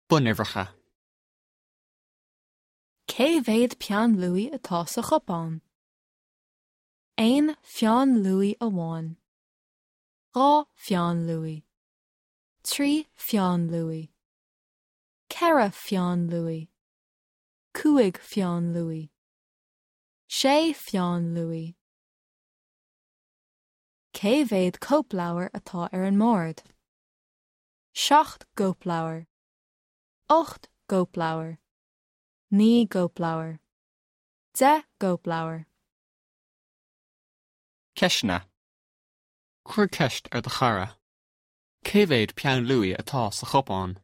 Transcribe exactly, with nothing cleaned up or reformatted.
Bunuimhreacha. Cé mhéad peann luaidhe atá sa chupán? Aon pheann luaidhe amháin. Dhá pheann luaidhe. Trí pheann luaidhe. Ceithre pheann luaidhe. Cúig pheann luaidhe. Sé pheann luaidhe. Cé mhéad cóipleabhar atá ar an mbord? Seacht gcóipleabhar. Ocht gcóipleabhar. Naoi gcóipleabhar. Deich gcóipleabhar. Ceisteanna. Cuir ceist ar do chara. Cé mhéad peann luaidhe atá sa chupán?